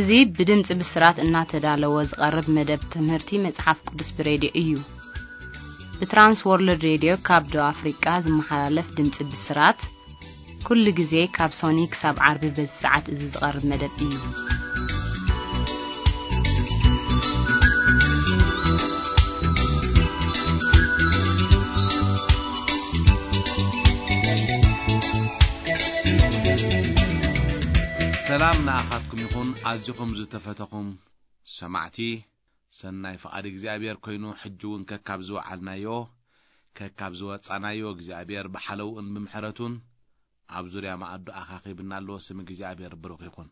እዚ ብድምጺ ብስራት እናተዳለወ ዝቐርብ መደብ ትምህርቲ መጽሓፍ ቅዱስ ብሬድዮ እዩ። ብትራንስ ወርልድ ሬድዮ ካብ ደቡብ ኣፍሪቃ ዝመሓላለፍ ድምጺ ብስራት፣ ኩሉ ግዜ ካብ ሶኒ ክሳብ ዓርቢ በዚ ሰዓት እዚ ዝቐርብ መደብ እዩ። ሰላም ንኣኻትኩም ይኹን፣ ኣዚኹም ዝተፈተኹም ሰማዕቲ። ሰናይ ፍቓድ እግዚኣብሔር ኮይኑ፣ ሕጂ እውን ከካብ ዝወዓልናዮ፣ ከካብ ዝወጻናዮ እግዚኣብሔር ብሓለውኡን ብምሕረቱን ኣብ ዙርያ መኣዱ ኣኻኺብና ኣሎ። ስም እግዚኣብሔር ብሩኽ ይኹን።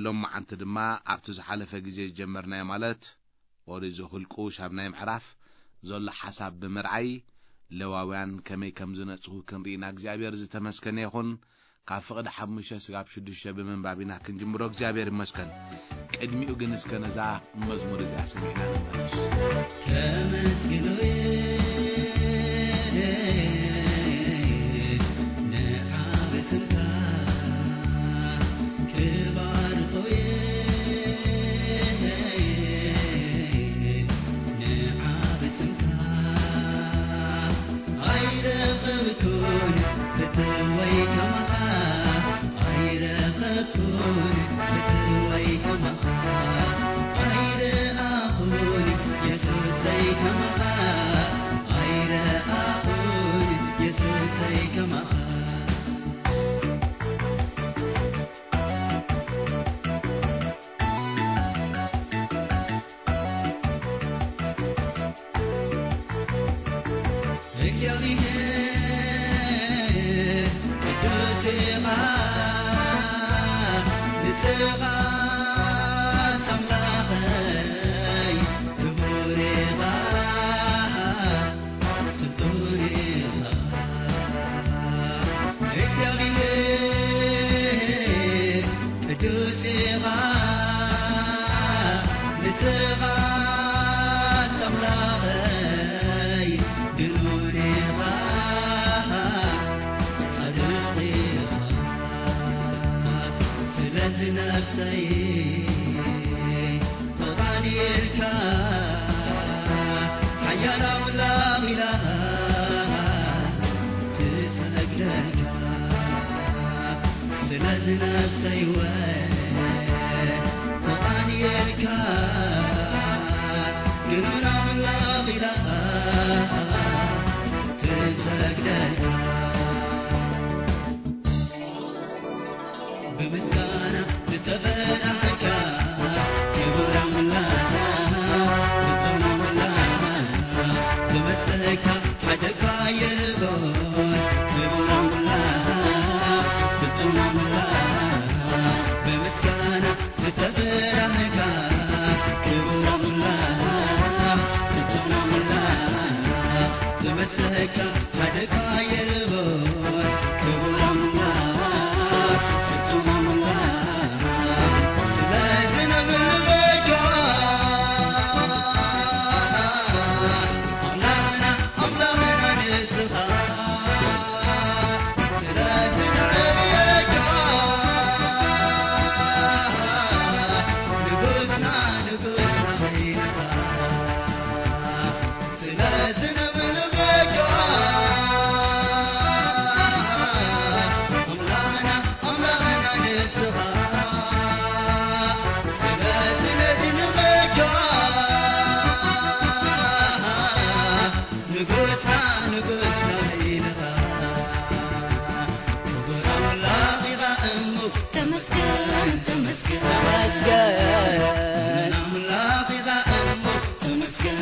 ሎማዓንቲ ድማ ኣብቲ ዝሓለፈ ግዜ ዝጀመርናዮ፣ ማለት ኦሪት ዘኍልቁ ሻምናይ ምዕራፍ ዘሎ ሓሳብ ብምርኣይ፣ ሌዋውያን ከመይ ከም ዝነጽሁ ክንርኢ ኢና። እግዚኣብሔር ዝተመስገነ ይኹን። ካብ ፍቕዲ ሓሙሽተ ስጋብ ሽዱሽተ ብምንባብ ኢና ክንጅምሮ። እግዚኣብሔር ይመስገን። ቅድሚኡ ግን እስከ ነዛ መዝሙር እዚኣ ሰሚዕና ንመለስ። ከመስግኖ ንዓብ ስምካ ክባርኾ ንዓ ብስምካ ኣይረኸብኩን ፍትወይ ከማኻ፣ ኣይረኸብኩን ፍትወይ ከማኻ፣ ኣይረኣኹን የሱሰይ ከማኻ፣ ኣይረኣኹን የሱሰይ ከማኻ። እግዚኣብሔር ቅዱስ ኢኻ፣ ንስኻ ኣምላኸይ ክቡር ኢኻ፣ ስልጡን ኢኻ። እግዚኣብሔር ቅዱስ ኢኻ፣ ንስኻ ኣምላኸይ ግኑን ኢኻ፣ ጻድቕ ኢኻ። ስለዚ ነፍሰይ ተቓንየልካ፣ ሓያል ኣምላኽ ኢላ ትሰግደልካ። ስለዚ ነፍሰይ ወ ተቓንየልካ፣ ግኑን ኣምላኽ ኢላ ትሰግደልካ። ብምስጋና ዝተበራኸካ ክቡር ኣምላኽ፣ ስልጡን ኣምላኽ፣ ዝመስለካ ሓደ እኳ የልቦን። ክቡር ኣምላኽ፣ ስልጡን ኣምላኽ፣ ብምስጋና ዝተበራኸካ ክቡር ኣምላኽ፣ ስልጡን ኣምላኽ፣ ዝመስለካ ሓደ እኳ የልቦን። ክቡር ኣምላኽ፣ ስልጡን ኣምላኽ፣ ስለዚ ነምልኸካ ኣምላኽና፣ ኣምላኽና ንስኻ፣ ስለዚ ነዕብየካ ንጉስና፣ ንጉስና ኢኻ። ስለዚ ነምልኸካ ኣምላኽና፣ ኣምላኽና ንስኻ፣ ስለዚ ነድንቐካ ንጉስና፣ ንጉስና ኢኻ። ክቡር ኣምላኽ ኢኻ እሞ ተመስገን፣ ተመስገን፣ ተመስገን። ኣምላኽ ኢኻ እሞ ተመስገን፣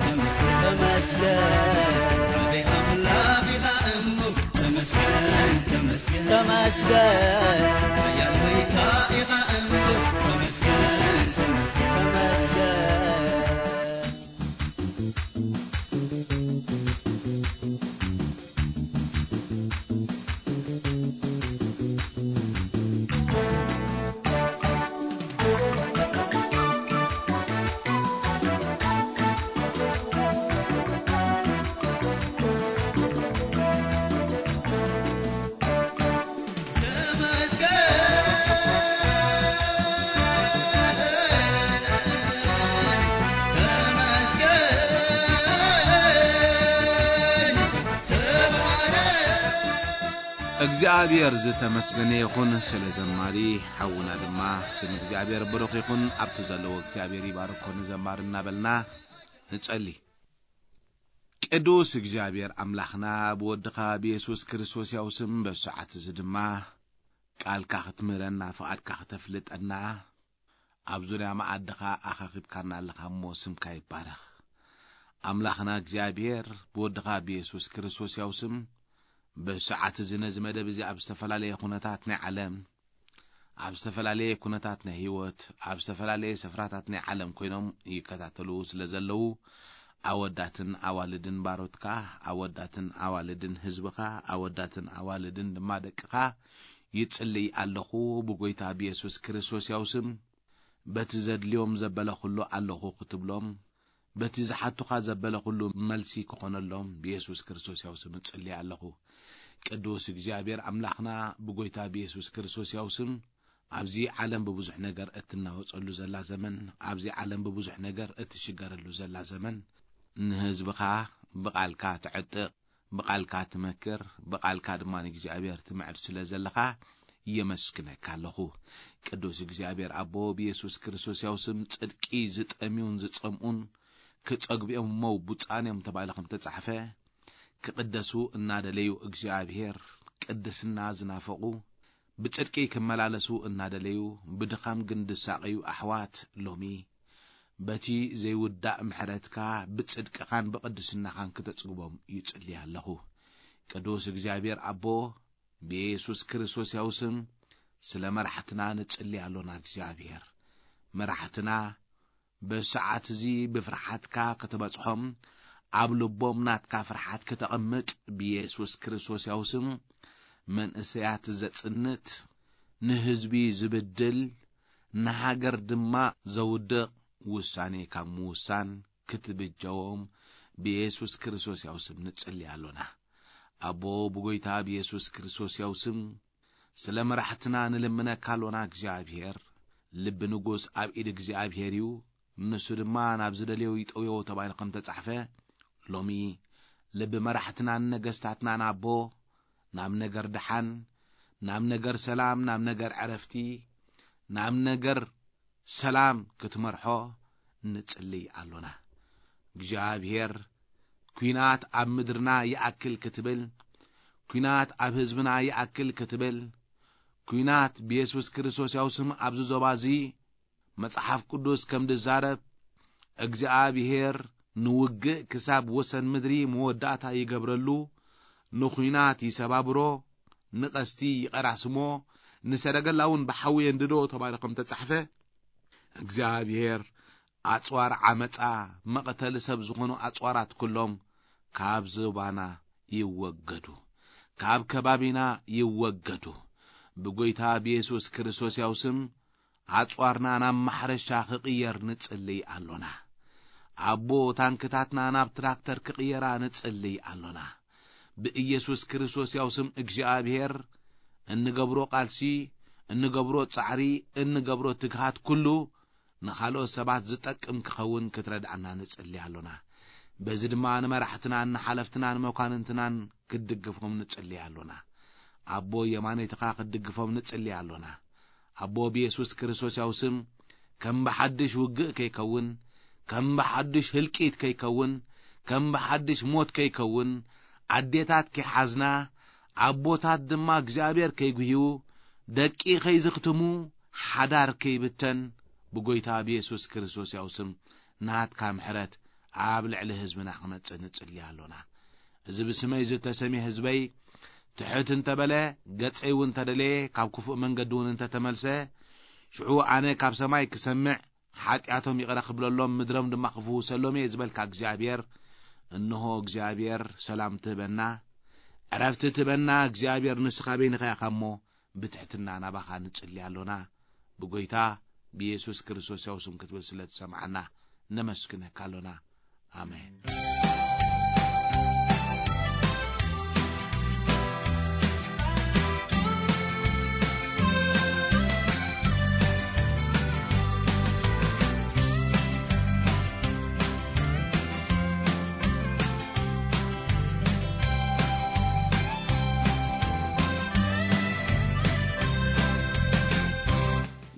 ተመስገን፣ ተመስገን። ዓቢ ኣምላኽ ኢኻ እሞ ተመስገን፣ ተመስገን፣ ተመስገን። ሓያል ጎይታ ኢኻ እሞ ተመስገን፣ ተመስገን፣ ተመስገን። እግዚኣብሔር ዝተመስገነ ይኹን ስለ ዘማሪ ሓውና ድማ ስም እግዚኣብሔር ብሩኽ ይኹን። ኣብቲ ዘለዎ እግዚኣብሔር ይባርኮ ንዘማሪ እናበልና ንጸሊ። ቅዱስ እግዚኣብሔር ኣምላኽና ብወድኻ ብየሱስ ክርስቶስ ያው ስም በሰዓት እዚ ድማ ቃልካ ክትምህረና ፍቓድካ ክተፍልጠና ኣብ ዙርያ መኣድኻ ኣኻኺብካና ኣለኻ እሞ ስምካ ይባረኽ። ኣምላኽና እግዚኣብሔር ብወድኻ ብየሱስ ክርስቶስ ያው ስም በሰዓት እዚ ነዚ መደብ እዚ ኣብ ዝተፈላለየ ኩነታት ናይ ዓለም ኣብ ዝተፈላለየ ኩነታት ናይ ህይወት ኣብ ዝተፈላለየ ስፍራታት ናይ ዓለም ኮይኖም ይከታተሉ ስለ ዘለዉ ኣወዳትን ኣዋልድን ባሮትካ ኣወዳትን ኣዋልድን ህዝብኻ ኣወዳትን ኣዋልድን ድማ ደቅኻ ይጽልይ ኣለኹ። ብጎይታ ብየሱስ ክርስቶስ ያው ስም በቲ ዘድልዮም ዘበለ ኩሉ ኣለኹ ክትብሎም በቲ ዝሓቱኻ ዘበለ ኩሉ መልሲ ክኾነሎም ብየሱስ ክርስቶስ ያው ስም እጽልይ ኣለኹ። ቅዱስ እግዚኣብሔር ኣምላኽና ብጎይታ ብየሱስ ክርስቶስ ያው ስም ኣብዚ ዓለም ብብዙሕ ነገር እትናወጸሉ ዘላ ዘመን ኣብዚ ዓለም ብብዙሕ ነገር እትሽገረሉ ዘላ ዘመን ንህዝብኻ ብቓልካ ትዕጥቕ ብቓልካ ትመክር ብቓልካ ድማ ንእግዚኣብሔር ትምዕድ ስለ ዘለኻ የመስግነካ ኣለኹ። ቅዱስ እግዚኣብሔር ኣቦ ብየሱስ ክርስቶስ ያው ስም ጽድቂ ዝጠምዩን ዝጸምኡን ክጸግቢኦም እሞ ብፁዓን እዮም ተባሂሉ ከም ተጻሕፈ ክቕደሱ እናደለዩ እግዚኣብሔር ቅድስና ዝናፈቑ ብጽድቂ ክመላለሱ እናደለዩ ብድኻም ግን ዝሳቐዩ ኣሕዋት ሎሚ በቲ ዘይውዳእ ምሕረትካ ብጽድቅኻን ብቕድስናኻን ክተጽግቦም ይጽሊ ኣለኹ። ቅዱስ እግዚኣብሔር ኣቦ ብየሱስ ክርስቶስ ያው ስም ስለ መራሕትና ንጽሊ ኣሎና። እግዚኣብሔር መራሕትና በሰዓት እዚ ብፍርሓትካ ከተበጽሖም ኣብ ልቦም ናትካ ፍርሓት ከተቐምጥ ብየሱስ ክርስቶስ ያው ስም መንእሰያት ዘጽንት ንህዝቢ ዝብድል ንሃገር ድማ ዘውድቕ ውሳኔ ካብ ምውሳን ክትብጀዎም ብየሱስ ክርስቶስ ያው ስም ንጽሊ ኣሎና። ኣቦ ብጎይታ ብየሱስ ክርስቶስ ያው ስም ስለ መራሕትና ንልምነካ ኣሎና። እግዚኣብሔር ልቢ ንጉስ ኣብ ኢድ እግዚኣብሔር እዩ፣ ንሱ ድማ ናብ ዝደልዮ ይጠውዮ ተባሂሉ ከም ተጻሕፈ ሎሚ ልቢ መራሕትናን ነገስታትናን ኣቦ ናብ ነገር ድሓን ናብ ነገር ሰላም ናብ ነገር ዕረፍቲ ናብ ነገር ሰላም ክትመርሖ ንጽልይ ኣሎና። እግዚኣብሔር ኲናት ኣብ ምድርና ይኣክል ክትብል ኲናት ኣብ ህዝብና ይኣክል ክትብል ኲናት ብየሱስ ክርስቶስ ያው ስም ኣብዚ ዞባ እዚ መጽሓፍ ቅዱስ ከም ዝዛረብ እግዚኣብሔር ንውግእ ክሳብ ወሰን ምድሪ መወዳእታ ይገብረሉ ንኹናት ይሰባብሮ ንቐስቲ ይቐራስሞ ንሰረገላ እውን ብሓዊ የንድዶ ተባሂሉ ከም ተጻሕፈ እግዚኣብሔር ኣጽዋር ዓመጻ መቐተሊ ሰብ ዝኾኑ ኣጽዋራት ኩሎም ካብ ዞባና ይወገዱ ካብ ከባቢና ይወገዱ ብጎይታ ብየሱስ ክርስቶስ ያው ስም ኣጽዋርና ናብ ማሕረሻ ክቕየር ንጽልይ ኣሎና። ኣቦ ታንክታትና ናብ ትራክተር ክቕየራ ንጽልይ ኣሎና። ብኢየሱስ ክርስቶስ ያው ስም እግዚኣብሔር እንገብሮ ቃልሲ፣ እንገብሮ ጻዕሪ፣ እንገብሮ ትግሃት ኩሉ ንኻልኦት ሰባት ዝጠቅም ክኸውን ክትረድኣና ንጽሊ ኣሎና። በዚ ድማ ንመራሕትናን ንሓለፍትናን መኳንንትናን ክትድግፎም ንጽሊ ኣሎና። ኣቦ የማነይትኻ ክትድግፎም ንጽሊ ኣሎና። ኣቦ ብየሱስ ክርስቶስ ያው ስም ከም ብሓድሽ ውግእ ከይከውን፣ ከም ብሓድሽ ህልቂት ከይከውን፣ ከም ብሓድሽ ሞት ከይከውን፣ ኣዴታት ከይሓዝና፣ ኣቦታት ድማ እግዚኣብሔር ከይጉህዩ፣ ደቂ ከይዝኽትሙ፣ ሓዳር ከይብተን ብጎይታ ብየሱስ ክርስቶስ ያው ስም ናትካ ምሕረት ኣብ ልዕሊ ህዝብና ክመጽእ ንጽሊ ኣሎና። እዚ ብስመይ ዝተሰምየ ህዝበይ ትሕት እንተበለ ገጸይ እውን እንተደለየ ካብ ክፉእ መንገዲ እውን እንተተመልሰ ሽዑ ኣነ ካብ ሰማይ ክሰምዕ ሓጢኣቶም ይቕረ ክብለሎም ምድሮም ድማ ክፍውሰሎም እየ ዝበልካ እግዚኣብሔር እንሆ እግዚኣብሔር ሰላም ትህበና ዕረፍቲ ትህበና እግዚኣብሔር ንስኻ በይንኻ ኢኻ እሞ ብትሕትና ናባኻ ንጽሊ ኣሎና ብጎይታ ብየሱስ ክርስቶስ ያው ስም ክትብል ስለ ትሰምዓና ነመስግነካ ኣሎና ኣሜን።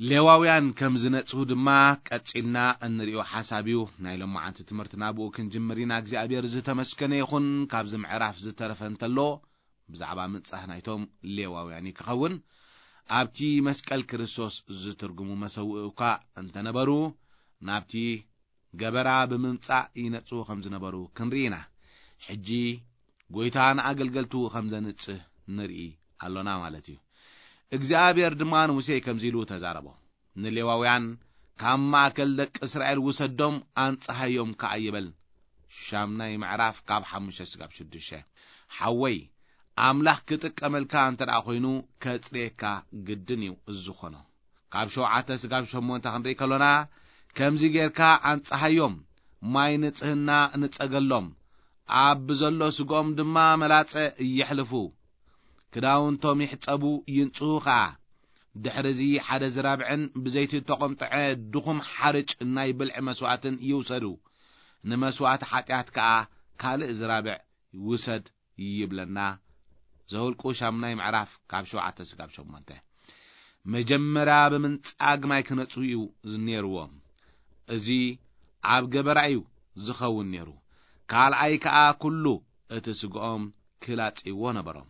ሌዋውያን ከም ዝነጽሁ ድማ ቀጺልና እንሪኦ ሓሳብ እዩ። ናይ ሎማዓንቲ ትምህርትና ብኡ ክንጅምር ኢና። እግዚኣብሔር ዝተመስገነ ይኹን። ካብዚ ምዕራፍ ዝተረፈ እንተሎ፣ ብዛዕባ ምንጻህ ናይቶም ሌዋውያን እዩ ክኸውን። ኣብቲ መስቀል ክርስቶስ ዝትርጉሙ መሰውኢ እኳ እንተነበሩ፣ ናብቲ ገበራ ብምምጻእ ይነጽሁ ከም ዝነበሩ ክንርኢ ኢና። ሕጂ ጐይታ ንኣገልገልቱ ከም ዘንጽህ ንርኢ ኣሎና ማለት እዩ። እግዚኣብሔር ድማ ንሙሴ ከምዚ ኢሉ ተዛረቦ፣ "ንሌዋውያን ካብ ማእከል ደቂ እስራኤል ውሰዶም፣ ኣንጽሃዮም ከኣ" ይበል። ሻምናይ ምዕራፍ ካብ ሓሙሽተ ስጋብ ሽዱሽተ። ሓወይ፣ ኣምላኽ ክጥቀመልካ እንተ ደኣ ኾይኑ፣ ከጽርየካ ግድን እዩ ዝኾኖ። ካብ ሸውዓተ ስጋብ ሸሞንተ ክንርኢ ከሎና፣ ከምዚ ጌርካ ኣንጽሃዮም፣ ማይ ንጽህና ንጸገሎም፣ ኣብ ብዘሎ ስግኦም ድማ መላጸ የሕልፉ፣ ክዳውንቶም ይሕጸቡ፣ ይንጽሁ ኸኣ። ድሕርዚ ሓደ ዝራብዕን ብዘይቲ እተቖምጥዐ ድኹም ሓርጭ ናይ ብልዒ መስዋእትን ይውሰዱ፣ ንመስዋእቲ ሓጢኣት ከኣ ካልእ ዝራብዕ ውሰድ ይብለና። ዘውልቁ ሻምናይ ምዕራፍ ካብ ሸውዓተ ስጋብ ሸሞንተ። መጀመርያ ብምንጻግ ማይ ክነጽሁ እዩ ነይርዎም። እዚ ኣብ ገበራ እዩ ዝኸውን ነይሩ። ካልኣይ ከኣ ኩሉ እቲ ስግኦም ክላጽይዎ ነበሮም።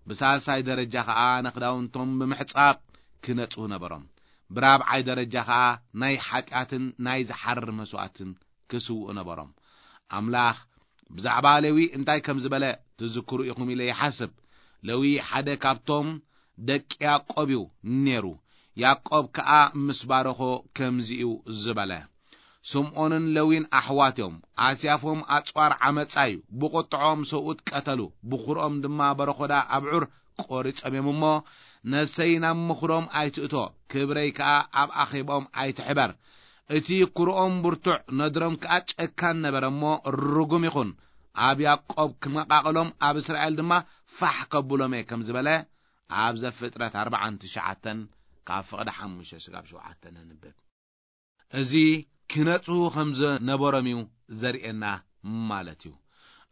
ብሳልሳይ ደረጃ ከኣ ንኽዳውንቶም ብምሕጻብ ክነጽሁ ነበሮም። ብራብዓይ ደረጃ ከኣ ናይ ሓጢኣትን ናይ ዝሓርር መስዋእትን ክስውኡ ነበሮም። ኣምላኽ ብዛዕባ ሌዊ እንታይ ከም ዝበለ ትዝክሩ ኢኹም ኢለ ይሓስብ። ሌዊ ሓደ ካብቶም ደቂ ያዕቆብ እዩ ነይሩ። ያዕቆብ ከኣ ምስ ባረኾ ከምዚ እዩ ዝበለ፣ "ስምዖንን ሌዊን ኣሕዋት እዮም። ኣስያፎም ኣጽዋር ዓመጻ እዩ። ብቁጥዖም ሰብኡት ቀተሉ፣ ብኹርኦም ድማ በረኾዳ ኣብዑር ቆሪጾም እዮም እሞ፣ ነፍሰይ ናብ ምኹሮም ኣይትእቶ፣ ክብረይ ከኣ ኣብ ኣኼባኦም ኣይትሕበር። እቲ ኩርኦም ብርቱዕ፣ ነድሮም ከኣ ጨካን ነበረ እሞ፣ ርጉም ይኹን። ኣብ ያዕቆብ ክመቓቕሎም፣ ኣብ እስራኤል ድማ ፋሕ ከብሎም እየ" ከም ዝበለ፣ ኣብ ዘፍጥረት ኣርባዓን ትሽዓተን ካብ ፍቕዲ ሓሙሽተ ስጋብ ሸውዓተ ነንብብ። እዚ ክነጽሁ ከም ዝነበሮም እዩ ዘርእየና ማለት እዩ።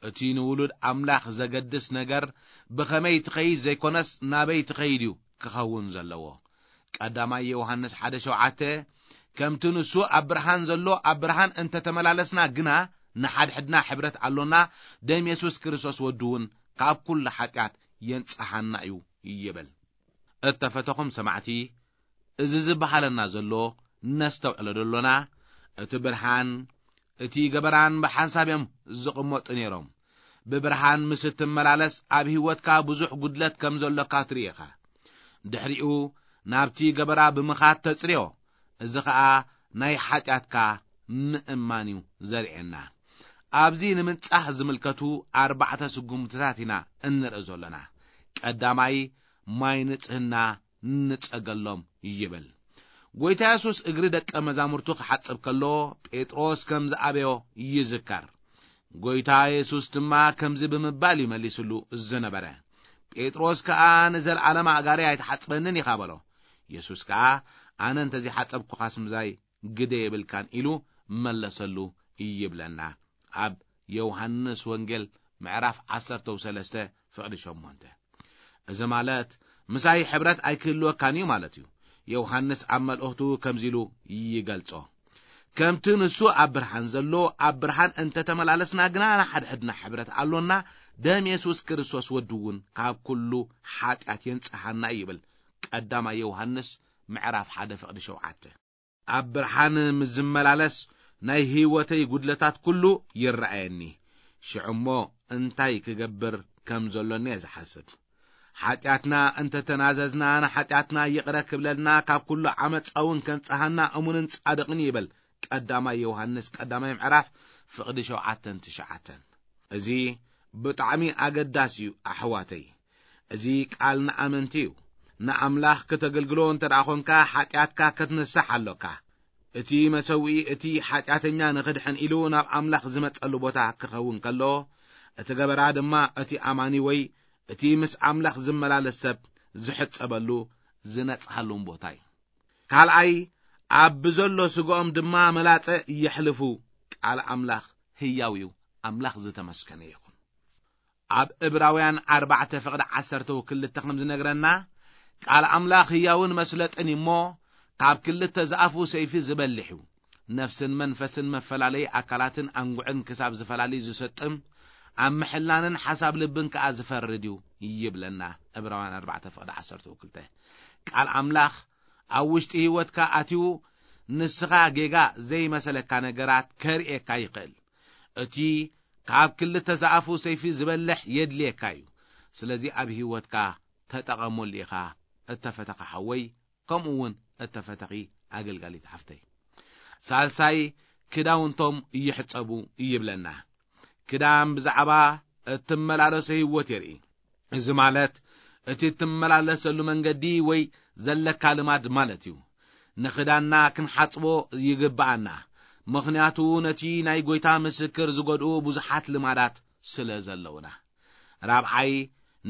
እቲ ንውሉድ ኣምላኽ ዘገድስ ነገር ብኸመይ ትኸይድ ዘይኮነስ ናበይ ትኸይድ እዩ ክኸውን ዘለዎ። ቀዳማይ ዮሃንስ ሓደ ሸውዓተ፣ "ከምቲ ንሱ ኣብ ብርሃን ዘሎ ኣብ ብርሃን እንተተመላለስና ግና ንሓድሕድና ሕብረት ኣሎና፣ ደም የሱስ ክርስቶስ ወዱ እውን ካብ ኩሉ ሓጢኣት የንጽሃና እዩ" ይብል። እተፈተኹም ሰማዕቲ፣ እዚ ዝበሃለና ዘሎ ነስተውዕሎ ደሎና፣ እቲ ብርሃን፣ እቲ ገበራን ብሓንሳብ እዮም ዝቕመጡ ነይሮም። ብብርሃን ምስ እትመላለስ ኣብ ህይወትካ ብዙሕ ጉድለት ከም ዘሎካ ትርኢ ኢኻ። ድሕሪኡ ናብቲ ገበራ ብምኻድ ተጽርዮ። እዚ ኸኣ ናይ ሓጢኣትካ ምእማን እዩ ዘርእየና። ኣብዚ ንምንጻህ ዝምልከቱ ኣርባዕተ ስጉምትታት ኢና እንርኢ ዘሎና። ቀዳማይ፣ ማይ ንጽህና ንጸገሎም ይብል። ጎይታ የሱስ እግሪ ደቀ መዛሙርቱ ክሓጽብ ከሎ፣ ጴጥሮስ ከም ዝኣበዮ ይዝከር። ጎይታ የሱስ ድማ ከምዚ ብምባል እዩ መሊስሉ ዝነበረ። ጴጥሮስ ከኣ፣ "ንዘለኣለም ኣእጋረይ ኣይትሓጽበንን ኢኻ" በሎ። የሱስ ከኣ፣ "ኣነ እንተዘይሓጸብኩኻስ ምሳይ ግደ የብልካን" ኢሉ መለሰሉ ይብለና። ኣብ ዮሃንስ ወንጌል ምዕራፍ ዓሰርተ ሰለስተ ፍቕዲ ሸሞንተ። እዚ ማለት ምሳይ ሕብረት ኣይክህልወካን እዩ ማለት እዩ። ዮሃንስ ኣብ መልእኽቱ ከምዚ ኢሉ ይገልጾ፣ "ከምቲ ንሱ ኣብ ብርሃን ዘሎ ኣብ ብርሃን እንተተመላለስና ግና ንሓድሕድና ሕብረት ኣሎና፣ ደም የሱስ ክርስቶስ ወዱ እውን ካብ ኩሉ ሓጢኣት የንጽሃና" ይብል። ቀዳማይ ዮሃንስ ምዕራፍ ሓደ ፍቕዲ ሸውዓተ። ኣብ ብርሃን ምስ ዝመላለስ ናይ ህይወተይ ጉድለታት ኩሉ ይረኣየኒ። ሽዑ እሞ እንታይ ክገብር ከም ዘሎኒ እየ ዝሓስብ። ሓጢኣትና እንተተናዘዝና ንሓጢኣትና ይቕረ ክብለልና ካብ ኩሉ ዓመፃ እውን ከንጽሃና እሙንን ጻድቕን ይብል። ቀዳማይ ዮሃንስ ቀዳማይ ምዕራፍ ፍቕዲ ሸውዓተን ትሽዓተን። እዚ ብጣዕሚ ኣገዳሲ እዩ ኣሕዋተይ። እዚ ቃል ንኣመንቲ እዩ። ንኣምላኽ ከተገልግሎ እንተ ደኣ ኾንካ፣ ሓጢኣትካ ከትንሳሕ ኣሎካ። እቲ መሰውኢ እቲ ሓጢኣተኛ ንኽድሕን ኢሉ ናብ ኣምላኽ ዝመጸሉ ቦታ ክኸውን ከሎ፣ እቲ ገበራ ድማ እቲ ኣማኒ ወይ እቲ ምስ ኣምላኽ ዝመላለስ ሰብ ዝሕጸበሉ፣ ዝነጽሃሉን ቦታ እዩ። ካልኣይ፣ ኣብ ብዘሎ ስግኦም ድማ መላጸ የሕልፉ። ቃል ኣምላኽ ህያው እዩ። ኣምላኽ ዝተመስገነ ይኹን። ኣብ ዕብራውያን ኣርባዕተ ፍቕዲ ዓሰርተ ክልተ ከም ዝነግረና፣ ቃል ኣምላኽ ህያውን መስለጥን እዩ እሞ፣ ካብ ክልተ ዝኣፉ ሰይፊ ዝበልሕ እዩ። ነፍስን መንፈስን መፈላለዪ ኣካላትን ኣንጉዕን ክሳብ ዝፈላሊ ዝሰጥም፣ ኣብ ምሕላንን ሓሳብ ልብን ከኣ ዝፈርድ እዩ ይብለና። ዕብራውያን ኣርባዕተ ፍቕዲ ዓሰርተ ክልተ። ቃል ኣምላኽ ኣብ ውሽጢ ህይወትካ ኣትዩ ንስኻ ጌጋ ዘይመሰለካ ነገራት ከርእየካ ይኽእል። እቲ ካብ ክልተ ዝኣፉ ሰይፊ ዝበልሕ የድልየካ እዩ። ስለዚ ኣብ ህይወትካ ተጠቐመሉ ኢኻ፣ እተፈተኻ ሓወይ፣ ከምኡ እውን እተፈተኺ ኣገልጋሊት ሓፍተይ። ሳልሳይ፣ ክዳውንቶም ይሕጸቡ ይብለና። ክዳን ብዛዕባ እትመላለሶ ህይወት የርኢ። እዚ ማለት እቲ እትመላለሰሉ መንገዲ ወይ ዘለካ ልማድ ማለት እዩ። ንኽዳንና ክንሓጽቦ ይግብኣና፣ ምኽንያቱ ነቲ ናይ ጎይታ ምስክር ዝጎድኡ ብዙሓት ልማዳት ስለ ዘለውና። ራብዓይ፣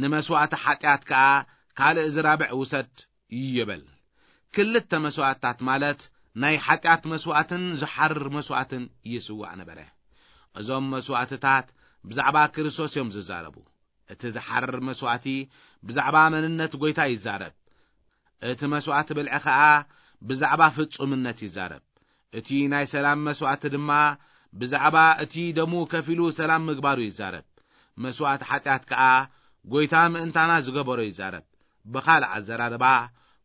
ንመስዋእቲ ሓጢኣት ከኣ ካልእ ዝራብዕ ውሰድ ይበል። ክልተ መስዋእትታት ማለት ናይ ሓጢኣት መስዋእትን ዝሓርር መስዋእትን ይስዋእ ነበረ። እዞም መስዋእትታት ብዛዕባ ክርስቶስ እዮም ዝዛረቡ። እቲ ዝሓርር መስዋእቲ ብዛዕባ መንነት ጎይታ ይዛረብ። እቲ መስዋእቲ ብልዒ ኸኣ ብዛዕባ ፍጹምነት ይዛረብ። እቲ ናይ ሰላም መስዋእቲ ድማ ብዛዕባ እቲ ደሙ ከፊሉ ሰላም ምግባሩ ይዛረብ። መስዋእቲ ሓጢኣት ከኣ ጎይታ ምእንታና ዝገበሮ ይዛረብ። ብኻልእ ኣዘራርባ፣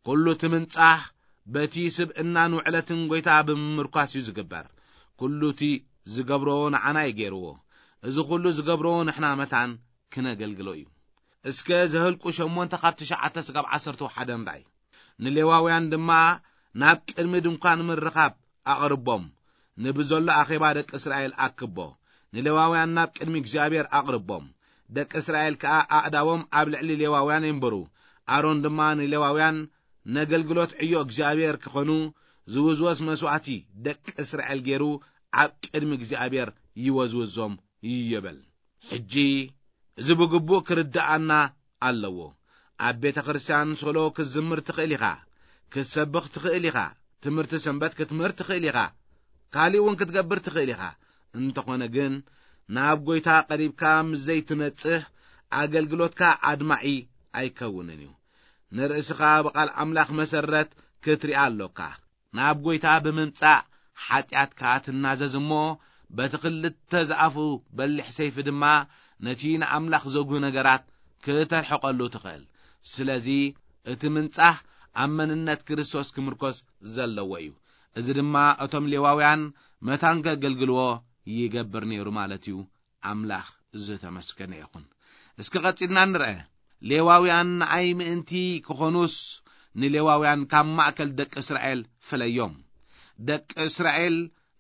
ኩሉ እቲ ምንጻህ በቲ ስብእናን ውዕለትን ጎይታ ብምምርኳስ እዩ ዝግበር። ኩሉ እቲ ዝገብሮ ንዓና እዩ ገይርዎ። እዚ ኩሉ ዝገብሮ ንሕና መታን ክነገልግሎ እዩ። እስከ ዘህልቁ ሸሞንተ ካብ ትሽዓተ ስጋብ ዓሰርተ ሓደ ንርኣይ። ንሌዋውያን ድማ ናብ ቅድሚ ድንኳን ምርኻብ ኣቕርቦም፣ ንብዘሎ ኣኼባ ደቂ እስራኤል ኣክቦ። ንሌዋውያን ናብ ቅድሚ እግዚኣብሔር ኣቕርቦም፣ ደቂ እስራኤል ከኣ ኣእዳዎም ኣብ ልዕሊ ሌዋውያን የንብሩ። ኣሮን ድማ ንሌዋውያን ነገልግሎት ዕዮ እግዚኣብሔር ክኾኑ ዝውዝወዝ መስዋእቲ ደቂ እስራኤል ገይሩ ኣብ ቅድሚ እግዚኣብሔር ይወዝውዞም ይብል። ሕጂ እዚ ብግቡእ ክርድኣና ኣለዎ። ኣብ ቤተ ክርስቲያን ሶሎ ክትዝምር ትኽእል ኢኻ፣ ክትሰብኽ ትኽእል ኢኻ፣ ትምህርቲ ሰንበት ክትምህር ትኽእል ኢኻ፣ ካሊእ እውን ክትገብር ትኽእል ኢኻ። እንተኾነ ግን ናብ ጎይታ ቀሪብካ ምስ ዘይትነጽህ ኣገልግሎትካ ኣድማዒ ኣይከውንን እዩ። ንርእስኻ ብቓል ኣምላኽ መሰረት ክትሪኣ ኣሎካ። ናብ ጎይታ ብምምጻእ ሓጢኣትካ ትናዘዝ እሞ፣ በቲ ክልተ ዝኣፉ በሊሕ ሰይፊ ድማ ነቲ ንኣምላኽ ዘጉህ ነገራት ክተርሕቐሉ ትኽእል። ስለዚ እቲ ምንጻህ ኣብ መንነት ክርስቶስ ክምርኮስ ዘለዎ እዩ። እዚ ድማ እቶም ሌዋውያን መታን ከገልግልዎ ይገብር ነይሩ ማለት እዩ። ኣምላኽ ዝተመስገነ ይኹን። እስኪ ቀጺልና ንርአ። ሌዋውያን ንኣይ ምእንቲ ክኾኑስ ንሌዋውያን ካብ ማእከል ደቂ እስራኤል ፍለዮም። ደቂ እስራኤል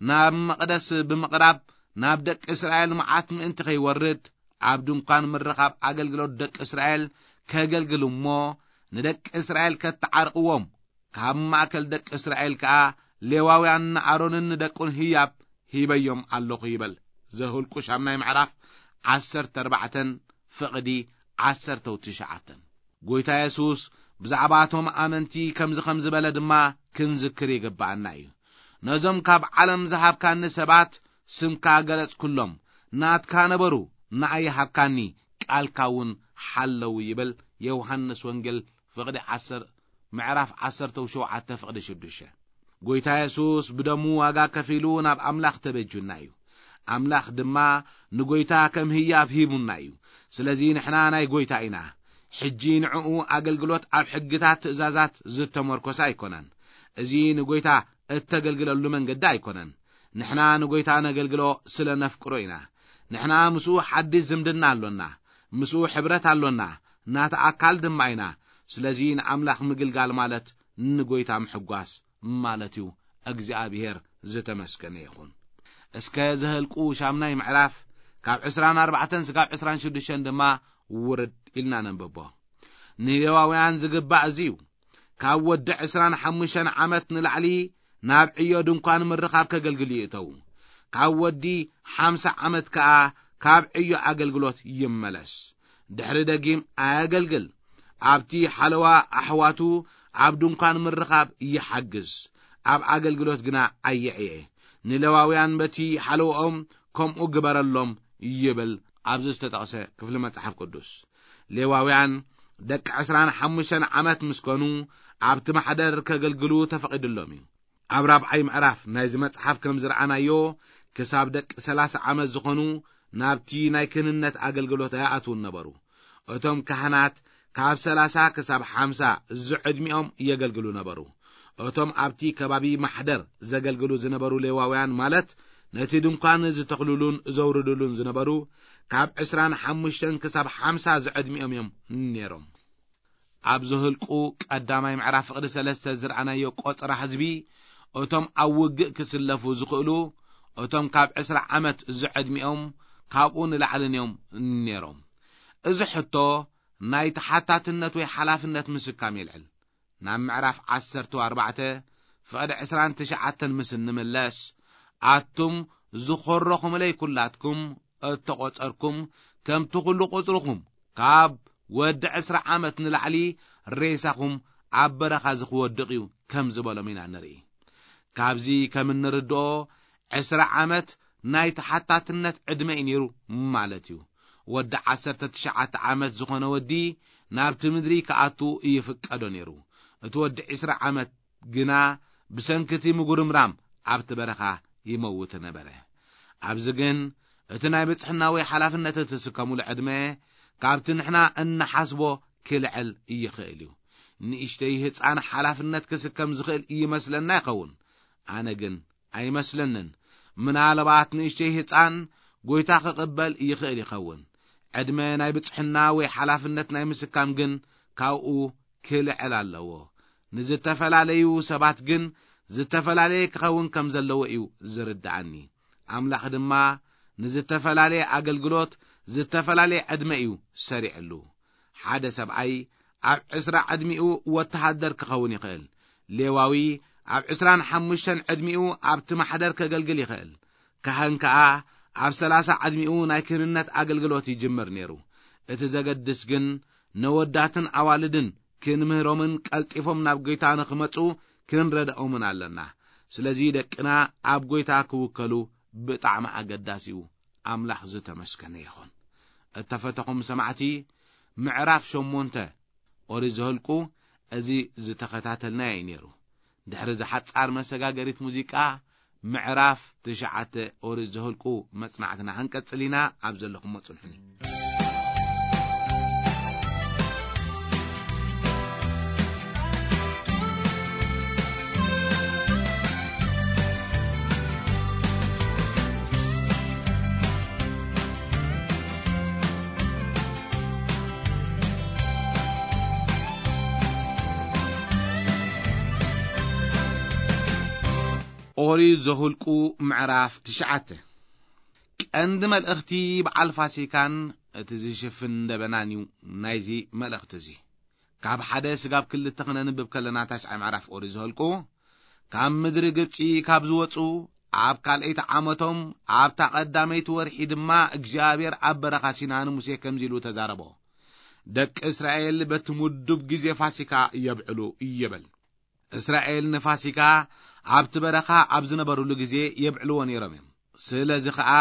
ናብ መቕደስ ብምቕራብ ናብ ደቂ እስራኤል መዓት ምእንቲ ከይወርድ ኣብ ድንኳን ምርኻብ ኣገልግሎት ደቂ እስራኤል ከገልግሉ እሞ ንደቂ እስራኤል ከተዓርቕዎም ካብ ማእከል ደቂ እስራኤል ከኣ ሌዋውያን ንኣሮንን ንደቁን ህያብ ሂበዮም ኣለኹ ይበል። ዘሁልቁ ሻምናይ ምዕራፍ ዓሰርተ ኣርባዕተን ፍቕዲ ዓሰርተ ትሽዓተን። ጎይታ የሱስ ብዛዕባ እቶም ኣመንቲ ከምዚ ከም ዝበለ ድማ ክንዝክር ይግብኣና እዩ። ነዞም ካብ ዓለም ዝሃብካኒ ሰባት ስምካ ገለጽኩሎም፣ ናትካ ነበሩ፣ ንኣይ ሃብካኒ፣ ቃልካ እውን ሓለዉ ይብል። ዮሃንስ ወንጌል ፍቕዲ ዓሰርተ ምዕራፍ ዓሰርተ ሸውዓተ ፍቕዲ ሽዱሽተ። ጎይታ የሱስ ብደሙ ዋጋ ከፊሉ ናብ ኣምላኽ ተበጁና እዩ። ኣምላኽ ድማ ንጎይታ ከም ህያብ ሂቡና እዩ። ስለዚ ንሕና ናይ ጎይታ ኢና። ሕጂ ንዕኡ ኣገልግሎት ኣብ ሕግታት ትእዛዛት ዝተመርኮሰ ኣይኮነን። እዚ ንጎይታ እተገልግለሉ መንገዲ ኣይኮነን። ንሕና ንጎይታ ነገልግሎ ስለ ነፍቅሮ ኢና። ንሕና ምስኡ ሓድሽ ዝምድና ኣሎና። ምስኡ ሕብረት ኣሎና። ናታ ኣካል ድማ ኢና። ስለዚ ንኣምላኽ ምግልጋል ማለት ንጎይታ ምሕጓስ ማለት እዩ። እግዚኣብሔር ዝተመስገነ ይኹን። እስከ ዘህልቁ ሻምናይ ምዕራፍ ካብ ዕስራን ኣርባዕተን ስጋብ ዕስራን ሽዱሽተን ድማ ውርድ ኢልና ነንብቦ። ንሌዋውያን ዝግባእ እዚ እዩ። ካብ ወዲ ዕስራን ሓሙሽተን ዓመት ንላዕሊ ናብ ዕዮ ድንኳን ምርኻብ ከገልግሉ ይእተዉ። ካብ ወዲ ሓምሳ ዓመት ከኣ ካብ ዕዮ ኣገልግሎት ይመለስ። ድሕሪ ደጊም ኣየገልግል። ኣብቲ ሓለዋ ኣሕዋቱ ኣብ ድንኳን ምርኻብ ይሓግዝ፣ ኣብ ኣገልግሎት ግና ኣየዕየ። ንሌዋውያን በቲ ሓለዋኦም ከምኡ ግበረሎም ይብል ኣብዚ ዝተጠቕሰ ክፍሊ መጽሓፍ ቅዱስ። ሌዋውያን ደቂ ዕስራን ሓሙሽተን ዓመት ምስ ኮኑ ኣብቲ ማሕደር ከገልግሉ ተፈቒዱሎም እዩ። ኣብ ራብዓይ ምዕራፍ ናይዚ መጽሓፍ ከም ዝረኣናዮ፣ ክሳብ ደቂ ሰላሳ ዓመት ዝኾኑ ናብቲ ናይ ክህንነት ኣገልግሎት ኣይኣትዉን ነበሩ። እቶም ካህናት ካብ ሰላሳ ክሳብ ሓምሳ ዝዕድሚኦም የገልግሉ ነበሩ። እቶም ኣብቲ ከባቢ ማሕደር ዘገልግሉ ዝነበሩ ሌዋውያን፣ ማለት ነቲ ድንኳን ዝተኽልሉን ዘውርድሉን ዝነበሩ፣ ካብ ዕስራን ሓሙሽተን ክሳብ ሓምሳ ዝዕድሚኦም እዮም ነይሮም። ኣብ ዘህልቁ ቀዳማይ ምዕራፍ ፍቕዲ ሰለስተ ዝረኣናዮ ቆጸራ ህዝቢ፣ እቶም ኣብ ውግእ ክስለፉ ዝኽእሉ፣ እቶም ካብ ዕስራ ዓመት ዝዕድሚኦም ካብኡ ንላዕልን እዮም ነይሮም። እዚ ሕቶ ናይ ተሓታትነት ወይ ሓላፍነት ምስካም የልዕል። ናብ ምዕራፍ ዓሰርተ ኣርባዕተ ፍቕዲ ዕስራን ትሽዓተን ምስ እንምለስ፣ ኣቱም ዝኾረኹምለይ ኩላትኩም እተቖጸርኩም፣ ከምቲ ኩሉ ቁጽርኹም ካብ ወዲ ዕስራ ዓመት ንላዕሊ ሬሳኹም ኣብ በረኻ እዚ ክወድቕ እዩ ከም ዝበሎም ኢና ንርኢ። ካብዚ ከም እንርድኦ፣ ዕስራ ዓመት ናይ ተሓታትነት ዕድመ እዩ ነይሩ ማለት እዩ። ወዲ ዓሰርተ ትሽዓተ ዓመት ዝኾነ ወዲ ናብቲ ምድሪ ክኣቱ ይፍቀዶ ነይሩ። እቲ ወዲ ዕስራ ዓመት ግና ብሰንኪ እቲ ምጉርምራም ኣብቲ በረኻ ይመውት ነበረ። ኣብዚ ግን እቲ ናይ ብጽሕና ወይ ሓላፍነት እትስከሙሉ ዕድመ ካብቲ ንሕና እንሓስቦ ክልዕል ይኽእል እዩ። ንእሽተይ ህጻን ሓላፍነት ክስከም ዝኽእል ይመስለና ይኸውን። ኣነ ግን ኣይመስለንን። ምናልባት ንእሽተይ ህጻን ጎይታ ክቕበል ይኽእል ይኸውን። ዕድመ ናይ ብጽሕና ወይ ሓላፍነት ናይ ምስካም ግን ካብኡ ክልዕል ኣለዎ። ንዝተፈላለዩ ሰባት ግን ዝተፈላለየ ክኸውን ከም ዘለዎ እዩ ዝርድኣኒ። ኣምላኽ ድማ ንዝተፈላለየ ኣገልግሎት ዝተፈላለየ ዕድመ እዩ ሰሪዕሉ። ሓደ ሰብኣይ ኣብ ዕስራ ዕድሚኡ ወተሃደር ክኸውን ይኽእል። ሌዋዊ ኣብ ዕስራን ሓሙሽተን ዕድሚኡ ኣብቲ ማሕደር ከገልግል ይኽእል። ካህን ከኣ ኣብ ሰላሳ ዕድሚኡ ናይ ክህንነት ኣገልግሎት ይጅምር ነይሩ። እቲ ዘገድስ ግን ነወዳትን ኣዋልድን ክንምህሮምን ቀልጢፎም ናብ ጐይታ ንኽመጹ ክንረድኦምን ኣለና። ስለዚ ደቅና ኣብ ጐይታ ክውከሉ ብጣዕሚ ኣገዳሲ እዩ። ኣምላኽ ዝተመስገነ ይኹን። እተፈተኹም ሰማዕቲ፣ ምዕራፍ ሸሞንተ ኦሪት ዘኍልቁ እዚ ዝተኸታተልናዮ እዩ ነይሩ። ድሕሪ እዛ ሓጻር መሰጋገሪት ሙዚቃ፣ ምዕራፍ ትሽዓተ ኦሪት ዘኍልቁ መጽናዕትና ክንቀጽል ኢና። ኣብ ዘለኹሞ ጽንሑኒ። ኦሪት ዘኍልቁ ምዕራፍ ትሽዓተ። ቀንዲ መልእኽቲ በዓል ፋሲካን እቲ ዝሽፍን ደበናን እዩ ናይዚ መልእኽቲ እዚ። ካብ ሓደ ስጋብ ክልተ ክነንብብ ከለና፣ ታሽዓይ ምዕራፍ ኦሪት ዘኍልቁ፣ ካብ ምድሪ ግብጺ ካብ ዝወጹ ኣብ ካልኣይቲ ዓመቶም ኣብታ ቀዳመይቲ ወርሒ ድማ እግዚኣብሔር ኣብ በረኻ ሲና ንሙሴ ከምዚ ኢሉ ተዛረቦ። ደቂ እስራኤል በቲ ምዱብ ግዜ ፋሲካ የብዕሉ ይበል። እስራኤል ንፋሲካ ኣብቲ በረኻ ኣብ ዝነበሩሉ ግዜ የብዕልዎ ነይሮም እዮም። ስለዚ ኸኣ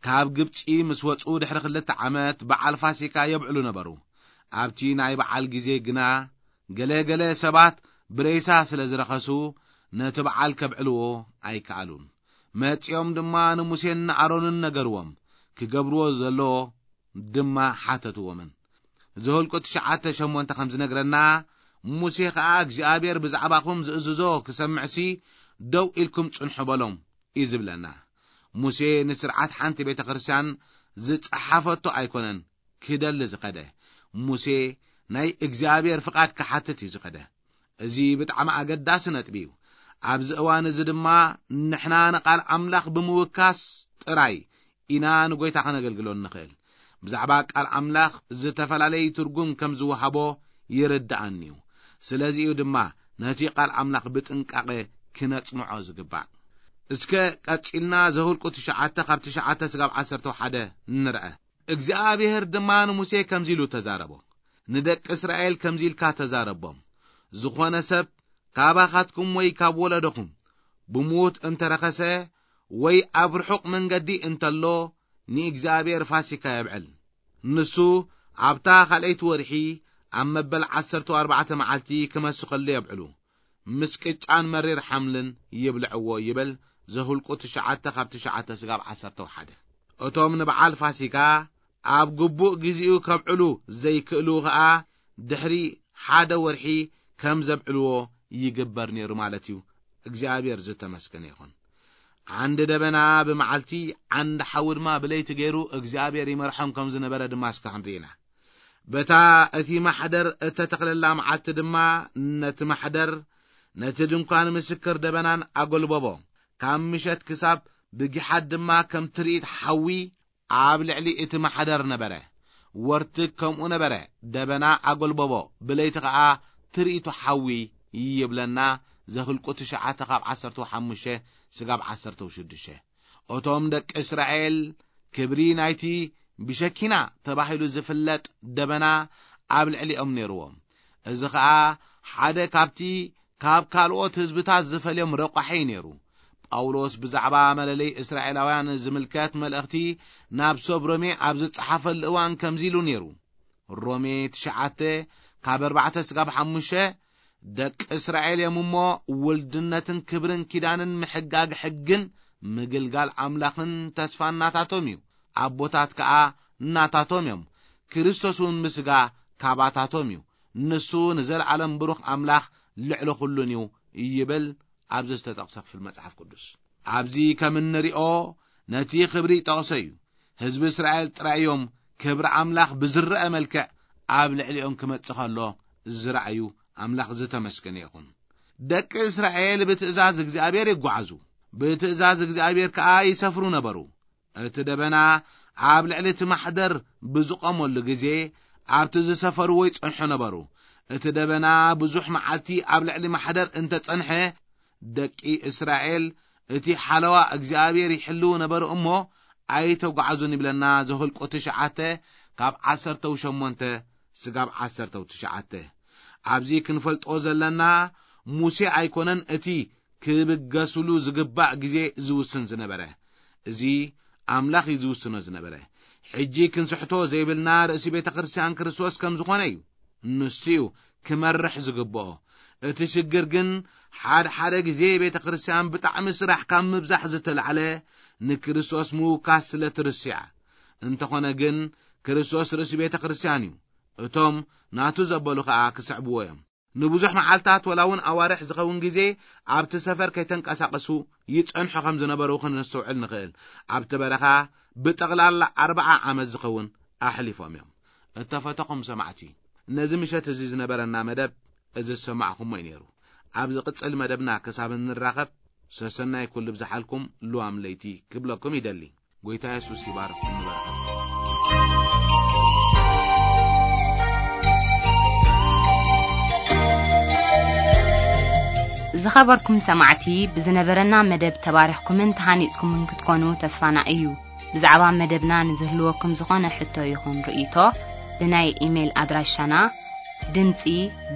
ካብ ግብጺ ምስ ወጹ ድሕሪ ክልተ ዓመት በዓል ፋሲካ የብዕሉ ነበሩ። ኣብቲ ናይ በዓል ግዜ ግና ገለ ገለ ሰባት ብሬሳ ስለ ዝረኸሱ ነቲ በዓል ከብዕልዎ ኣይከኣሉን። መጺኦም ድማ ንሙሴን ንኣሮንን ነገርዎም፣ ክገብርዎ ዘለዎ ድማ ሓተትዎምን። ዘኍልቁ ትሽዓተ ሸሞንተ ከም ዝነግረና፣ ሙሴ ኸኣ እግዚኣብሔር ብዛዕባኹም ዝእዝዞ ክሰምዕሲ ደው ኢልኩም ጽንሑ በሎም እዩ ዝብለና። ሙሴ ንስርዓት ሓንቲ ቤተ ክርስቲያን ዝጸሓፈቶ ኣይኮነን ክደሊ ዝኸደ። ሙሴ ናይ እግዚኣብሔር ፍቓድ ክሓትት እዩ ዝኸደ። እዚ ብጣዕሚ ኣገዳሲ ነጥቢ እዩ። ኣብዚ እዋን እዚ ድማ ንሕና ንቓል ኣምላኽ ብምውካስ ጥራይ ኢና ንጎይታ ከነገልግሎ እንኽእል። ብዛዕባ ቃል ኣምላኽ ዝተፈላለየ ትርጉም ከም ዝወሃቦ ይርድኣኒ እዩ። ስለዚ እዩ ድማ ነቲ ቃል ኣምላኽ ብጥንቃቐ ክነጽንዖ ዝግባእ። እስከ ቀጺልና ዘኍልቁ ትሽዓተ ካብ ትሽዓተ ስጋብ ዓሰርተ ሓደ ንርአ። እግዚኣብሔር ድማ ንሙሴ ከምዚ ኢሉ ተዛረቦ። ንደቂ እስራኤል ከምዚ ኢልካ ተዛረቦም፣ ዝኾነ ሰብ ካባኻትኩም ወይ ካብ ወለዶኹም ብሞት እንተረኸሰ ወይ ኣብ ርሑቕ መንገዲ እንተሎ፣ ንእግዚኣብሔር ፋሲካ የብዕል። ንሱ ኣብታ ካልኣይቲ ወርሒ ኣብ መበል ዓሰርተ ኣርባዕተ መዓልቲ ክመሱ ከሎ የብዕሉ፣ ምስ ቅጫን መሪር ሓምልን ይብልዕዎ ይብል። ዘሁልቁ ትሽዓተ ካብ ትሽዓተ ስጋብ ዓሰርተ ሓደ። እቶም ንበዓል ፋሲካ ኣብ ግቡእ ግዜኡ ከብዕሉ ዘይክእሉ ኸኣ ድሕሪ ሓደ ወርሒ ከም ዘብዕልዎ ይግበር ነይሩ ማለት እዩ። እግዚኣብሔር ዝተመስገነ ይኹን። ዓንዲ ደበና ብመዓልቲ፣ ዓንዲ ሓዊ ድማ ብለይቲ ገይሩ እግዚኣብሔር ይመርሖም ከም ዝነበረ ድማ እስከ ክንርኢ ኢና። በታ እቲ ማሕደር እተተኽለላ መዓልቲ ድማ ነቲ ማሕደር፣ ነቲ ድንኳን ምስክር ደበናን ኣጎልበቦ። ካብ ምሸት ክሳብ ብጊሓት ድማ ከም ትርኢት ሓዊ ኣብ ልዕሊ እቲ ማሕደር ነበረ። ወርትግ ከምኡ ነበረ፣ ደበና ኣጎልበቦ፣ ብለይቲ ኸኣ ትርኢቱ ሓዊ ይብለና። ዘህልቁ ትሽዓተ ካብ ዓሰርተ ሓሙሽተ ስጋብ ዓሰርተ ሽዱሽተ። እቶም ደቂ እስራኤል ክብሪ ናይቲ ብሸኪና ተባሂሉ ዝፍለጥ ደበና ኣብ ልዕሊኦም ነይርዎም። እዚ ኸኣ ሓደ ካብቲ ካብ ካልኦት ህዝብታት ዝፈልዮም ረቋሒ ነይሩ። ጳውሎስ ብዛዕባ መለለይ እስራኤላውያን ዝምልከት መልእኽቲ ናብ ሰብ ሮሜ ኣብ ዝጸሓፈሉ እዋን ከምዚ ኢሉ ነይሩ። ሮሜ ትሽዓተ ካብ ኣርባዕተ ስጋብ ሓሙሽተ፣ ደቂ እስራኤል እዮም እሞ፣ ውልድነትን ክብርን ኪዳንን ምሕጋግ ሕግን ምግልጋል ኣምላኽን ተስፋ እናታቶም እዩ። ኣቦታት ከኣ እናታቶም እዮም። ክርስቶስ እውን ብስጋ ካባታቶም እዩ። ንሱ ንዘለዓለም ብሩኽ ኣምላኽ ልዕሊ ኩሉን እዩ ይብል ኣብዚ ዝተጠቕሰ ክፍል መጽሓፍ ቅዱስ። ኣብዚ ከም እንሪኦ ነቲ ክብሪ ይጠቕሶ እዩ። ህዝቢ እስራኤል ጥራይ እዮም ክብሪ ኣምላኽ ብዝረአ መልክዕ ኣብ ልዕሊኦም ክመጽእ ከሎ ዝረኣዩ። ኣምላኽ ዝተመስገነ ይኹን። ደቂ እስራኤል ብትእዛዝ እግዚኣብሔር ይጓዓዙ፣ ብትእዛዝ እግዚኣብሔር ከኣ ይሰፍሩ ነበሩ። እቲ ደበና ኣብ ልዕሊ እቲ ማሕደር ብዝቖመሉ ግዜ ኣብቲ ዝሰፈርዎ ይጸንሑ ነበሩ። እቲ ደበና ብዙሕ መዓልቲ ኣብ ልዕሊ ማሕደር እንተጸንሐ፣ ደቂ እስራኤል እቲ ሓለዋ እግዚኣብሔር ይሕልዉ ነበሩ እሞ ኣይተጓዓዙን ይብለና። ዘሁልቁ ትሽዓተ ካብ ዓሰርተ ሸሞንተ ስጋብ ዓሰርተ ትሽዓተ። ኣብዚ ክንፈልጦ ዘለና፣ ሙሴ ኣይኮነን እቲ ክብገስሉ ዝግባእ ግዜ ዝውስን ዝነበረ። እዚ ኣምላኽ እዩ ዝውስኖ ዝነበረ። ሕጂ ክንስሕቶ ዘይብልና ርእሲ ቤተ ክርስቲያን ክርስቶስ ከም ዝኾነ እዩ። ንሱ እዩ ክመርሕ ዝግብኦ። እቲ ሽግር ግን፣ ሓደ ሓደ ግዜ ቤተ ክርስቲያን ብጣዕሚ ስራሕ ካብ ምብዛሕ ዝተላዕለ ንክርስቶስ ምውካስ ስለ ትርስዕ። እንተኾነ ግን፣ ክርስቶስ ርእሲ ቤተ ክርስቲያን እዩ። እቶም ናቱ ዘበሉ ኸኣ ክስዕብዎ እዮም። ንብዙሕ መዓልታት ወላ እውን ኣዋርሕ ዝኸውን ግዜ ኣብቲ ሰፈር ከይተንቀሳቐሱ ይጸንሑ ከም ዝነበሩ ክንስተውዕል ንኽእል። ኣብቲ በረኻ ብጠቕላላ ኣርብዓ ዓመት ዝኸውን ኣሕሊፎም እዮም። እተፈተኹም ሰማዕቲ፣ ነዚ ምሸት እዚ ዝነበረና መደብ እዚ ዝሰማዕኹሞ እዩ ነይሩ። ኣብ ዝቕጽል መደብና ክሳብ እንራኸብ፣ ሰሰናይ ኩሉ ብዝሓልኩም ልዋም ለይቲ ክብለኩም ይደሊ። ጎይታ የሱስ ይባርኽኩም። ንበረኸት። ዝኸበርኩም ሰማዕቲ፣ ብዝነበረና መደብ ተባሪኽኩምን ተሃኒጽኩምን ክትኮኑ ተስፋና እዩ። ብዛዕባ መደብና ንዝህልወኩም ዝኾነ ሕቶ ይኹን ርእይቶ፣ ብናይ ኢሜይል ኣድራሻና ድምጺ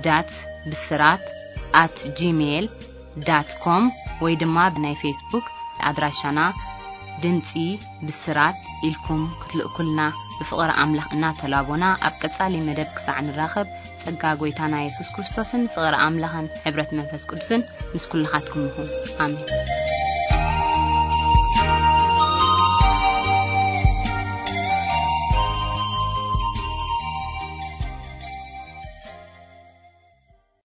ዳት ብስራት ኣት ጂሜይል ዳት ኮም ወይ ድማ ብናይ ፌስቡክ ኣድራሻና ድምጺ ብስራት ኢልኩም ክትልእኩልና ብፍቕሪ ኣምላኽ እናተላቦና፣ ኣብ ቀጻሊ መደብ ክሳዕ ንራኸብ፣ ጸጋ ጎይታና የሱስ ክርስቶስን ፍቕሪ ኣምላኽን ሕብረት መንፈስ ቅዱስን ምስ ኩልኻትኩም ይኹን። ኣሜን።